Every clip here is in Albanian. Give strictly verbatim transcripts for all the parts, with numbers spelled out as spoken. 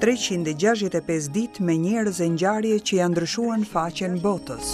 treqind e gjashtëdhjetë e pesë ditë me njerëz e ngjarje që janë ndryshuar në faqen botës.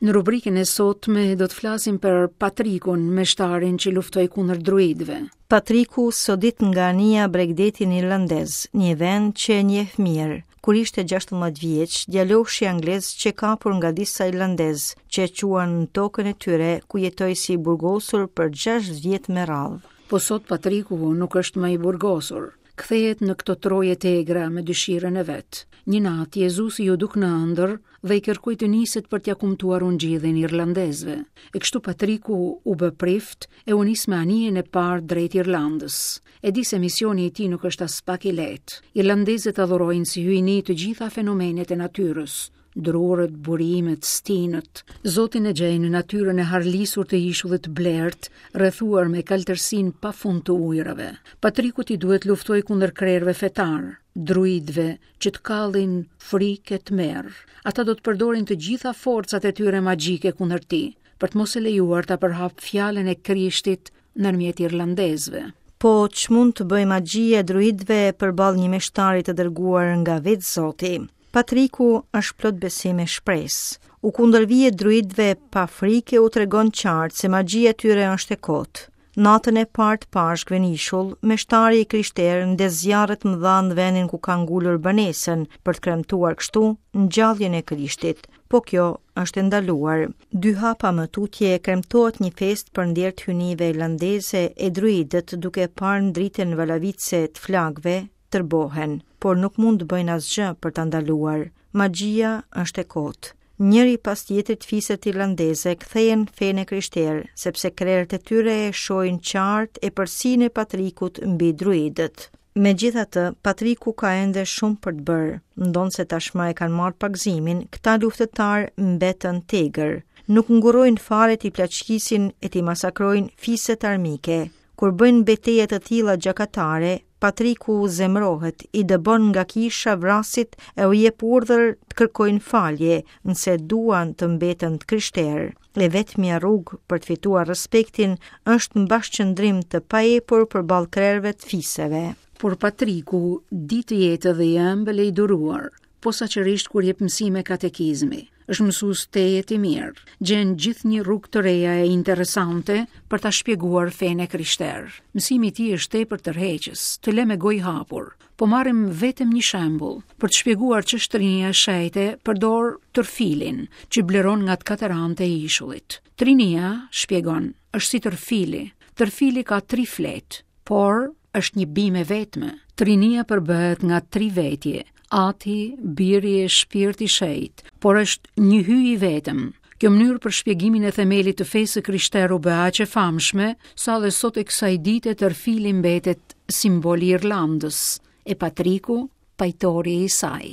Në rubrikën e sotme do të flasim për Patrikun, meshtarin që luftoi kundër druidëve. Patriku sodit nga anija bregdetin irlandez, një vend që e njeh mirë. Kur ishte gjashtëmbëdhjetë vjeç, djaloshi anglez që kapur nga disa irlandez që e quan në tokën e tyre, ku jetoi si i burgosur për gjashtë vjet me radhë. Po sot Patriku nuk është më i burgosur. Kthehet në këto troje të egra me dëshirën e vet. Një natë Jezusi ju duk në ëndër dhe i kërkoi të niset për t'ia kumtuar ungjillin irlandezëve. E kështu Patriku u bë prift e u nis me anijen e parë drejt Irlandës. E di se misioni i tij nuk është as pak i lehtë. Irlandezët adhurojnë si hyjni të gjitha fenomenet e natyrës, drurët, burimet, stinët. Zotin e gjejnë në natyrën e harlisur të ishullit Blert, rrethuar me kaltërsinë pafund të ujërave. Patrikut i duhet luftoj kundër krerëve fetar, druidëve që të kallin frikë e tmerr. Ata do të përdorin të gjitha forcat e tyre magjike kundër tij, për të mos e lejuar ta përhap fjalën e Krishtit ndërmjet irlandezëve. Po ç'mund të bëjë magjia e druidëve përballë një meshtari të dërguar nga vetë Zoti? Patriku është plot besim e shpresë. U kundërvihet druidëve pa frikë e u tregon qartë se magjia e tyre është e kotë. Natën e parë të Pashkëve në ishull, meshtari i krishterë ndez zjarret mëdha në vendin ku ka ngulur banesën për të kremtuar kështu ngjalljen e Krishtit. Po kjo është e ndaluar. Dy hapa më tutje kremtohet një festë për nder të hyjnive irlandeze e druidët duke parë ndritën valavitse të flakëve tërbohen, por nuk mund të bëjnë asgjë për ta ndaluar. Magjia është e kotë. Njëri pas tjetrit fiset irlandeze kthehen fenë e krishterë, sepse krerët e tyre e shohin qartë epërsinë e Patrikut mbi druidët. Megjithatë, Patriku ka ende shumë për të bërë. Ndonse tashmë e kanë marrë pagëzimin, këta luftëtar mbetën tegër. Nuk ngurrojnë fare t'i plaçkisin e t'i masakrojnë fiset armike. Kur bëjnë beteje të tilla gjakatare, Patriku zemrohet, i dëbon nga kisha vrasit e u jep urdhër të kërkojnë falje, nëse duan të mbeten të krishterë. E vetmja rrugë për të fituar respektin është në bashkëqendrim të paepur përballë krerëve të fiseve. Por Patriku di të jetë edhe i ëmbël e i duruar, posaçërisht kur jep mësime katekizmi. Është mësues tejet i mirë, gjen gjithnjë rrugë të reja e interesante për ta shpjeguar fenë e krishterë. Mësimi i tij është tepër tërheqës, të lë me gojë hapur. Po marrim vetëm një shembull për të shpjeguar ç'është trinia e shenjtë, përdor tërfilin që bleron nga të katër anët e ishullit. Trinia, shpjegon, është si tërfili. Tërfili ka tri fletë, por është një bimë e vetme. Trinia përbëhet nga tri vetje, Ati, Biri e Shpirti i Shenjtë, por është një hyj i vetëm. Kjo mënyrë për shpjegimin e themelit të fesë së krishterë u bë aq e famshme, sa dhe sot e kësaj dite tërfili mbetet simboli i Irlandës, e Patriku, pajtori i saj.